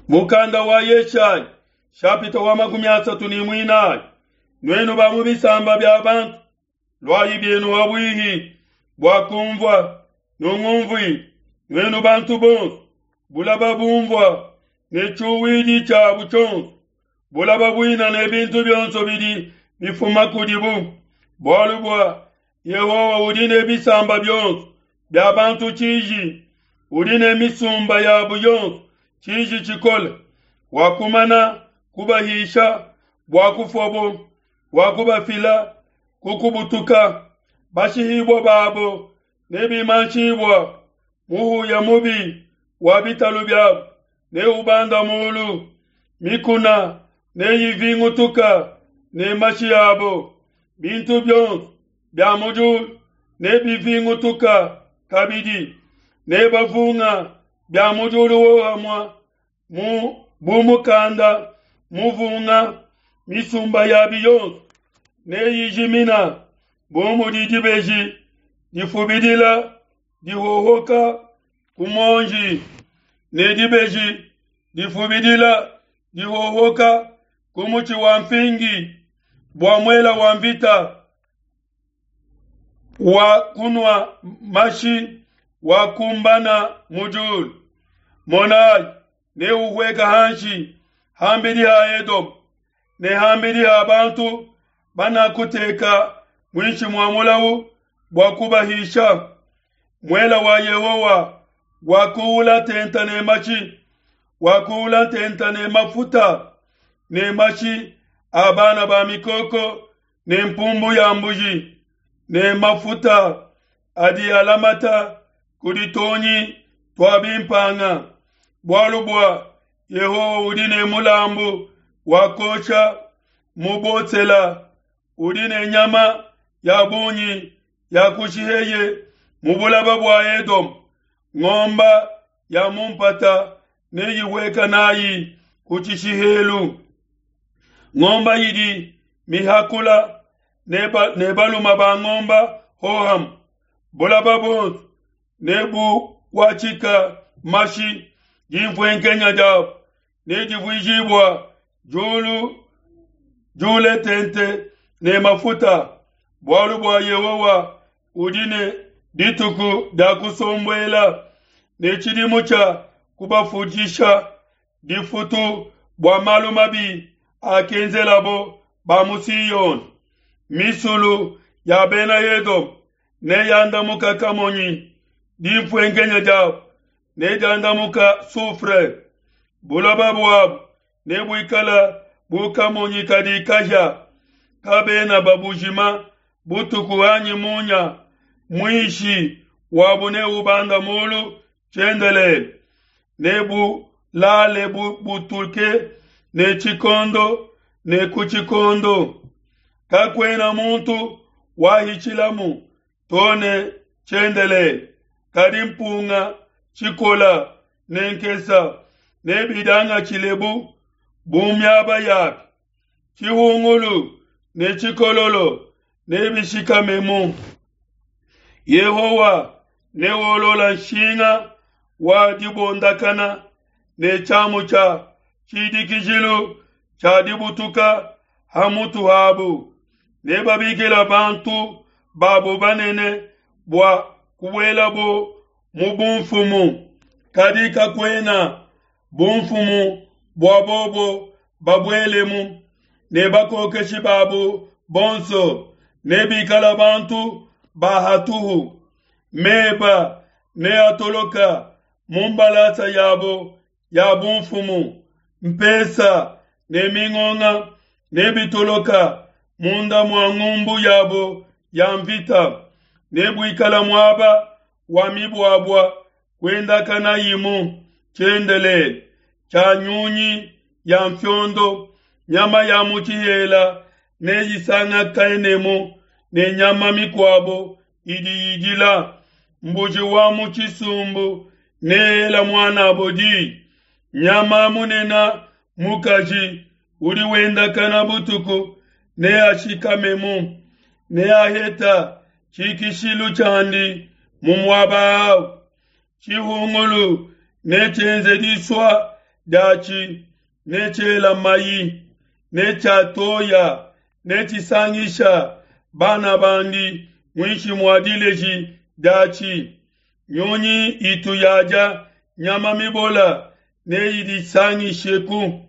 Mukanda wa Yeshaya shapita wa 34. Nuenu ba mu bisamba bia bantu, luayi bienu habuihi bua kumvua, nungumvui. Nuenu bantu bonso, bulaba bumvua ne tshiuwidi tshiabu tshionso, bulaba buina ne bintu bionso bidi bifuma kudibu, bualu bua Yehowa udi ne bisamba bionso bia bantu tshiji, udi ne misumba yabu yonso tshiji tshikole, wakumana kubahisha bua kufuabo, wakubafila ku kubutuka. Bashihibua babo nebimanshibua, muhuya mubi wa bitalu biabo neubanda mulu, mikuna neyivingutuka ne mashi abo, bintu bionso bia mu diulu nebivingutuka kabidi, nebavunga bia mu diulu wohamua mu bu mukanda muvunga, misumba yabi yonso neyijimina bu mudi dibeji difubidila dihohoka ku muonji, ne dibeji difubidila dihohoka ku mutshi wa mfingi, bua muela wa mvita wa kunua mashi wakumbana mu diulu. Monayi, neuhueka hanshi hambidi ha Edome ne hambidi ha bantu banakuteka muinshi mua mulawu bua kubahisha. Muela wa Yehowa wakuula tenta ne mashi, wakuula tenta ne mafuta ne mashi a bana ba mikoko ne mpumbu ya mbuji ne mafuta adi alamata kudi tuonyi tua bimpanga, bualu bua Yehowa udi ne mulambu wa kuosha mu Botsela, udi ne nyama ya bungi ya kushiheye mu bulaba bua Edome, ngomba ya mu mpata neyihueka nayi ku tshishihelu. Ngomba idi mihakula ne baluma ba ngomba hohamue, bulaba buonso nebukuatshika mashi, dinfuenkenya diabu nedivuijibua diulu diule tente ne mafuta, bualu bua Yehowa udi ne dituku dia kusombuela ne tshidimu tshia kubafudisha difutu bua malu mabi akenzelabo ba mu Siyone. Misulu ya bena Edome neyandamuka kamonyi, dinfuenkenya diabu nediandamuka soufre. Buloba buabu nebuikala bu kamonyi kadi kahia, kabena babujima butuku anyi munya, muishi wabu neubanda mulu tshiendelele, nebulale butuke ne tshikondo ne ku tshikondo. Kakuena muntu wahitshilamu to ne tshiendelele, kadi mpunga, tshikola ne nkesa nebidiangatshilebu bu miaba yabi. Tshihungulu ne tshikololo nebishikamemu. Yehowa neolola nshinga wa dibondakana ne tshiamu tshia tshidikijilu tshia dibutuka ha mutu habu. Nebabikila bantu babo banene bua kubuelabo mu bumfumu, kadi kakuena bumfumu bua bobo babuelemu, ne bakokeshi babo bonso nebikala bantu ba hatuhu. Meba neatoloka mu mbalasa yabo ya bumfumu, mpesa ne mingonga nebitoloka munda mua ngumbu yabo ya mvita. Nebuikala muaba wa mibuabua kuendakanayimu tshiendelele, tshia nyunyi ya mfiondo, nyama ya mu tshihela neyisangakenemu ne nyama mikuabo idi idila. Mbuji wa mu tshisumbu neela muanabo di, nyama munene mukaji udi wendakana butuku neashikamemu, neaheta tshikishilu tshiandi mu muaba au. Tshihungulu netshienze disua. diatshi ne tshiela mayi ne tshia toya ne tshisangisha bana bandi muinshi mua dileji diatshi. Nyunyi itu yadia nyama mibola neyidisangisheku.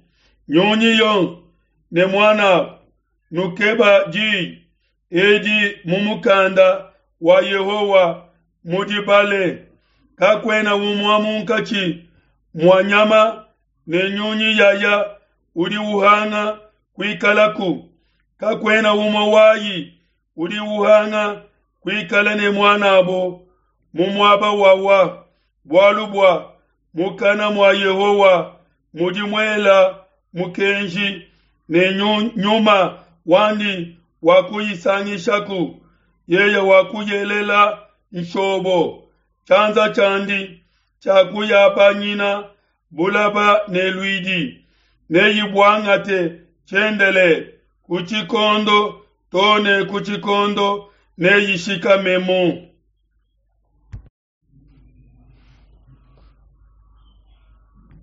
Nyunyi yonso ne muanabu nukeba diyi edi mu mukanda wa Yehowa mudibale. Kakuena umue munkatshi mua nyama ne nyunyi yaya udi uhanga kuikalaku. Kakuena umue wayi udi uhanga kuikala ne muanabo mu muaba wawa, bualu bua mukana mua Yehowa mudi muela mukenji ne nyuma wandi wakuyisangishaku. Yeye wakuyelela nshobo, tshianza tshiandi tshiakuyabanyina bulaba ne luidi, neyibuangate tshiendelele ku tshikondo to ne ku tshikondo neyishikamemu.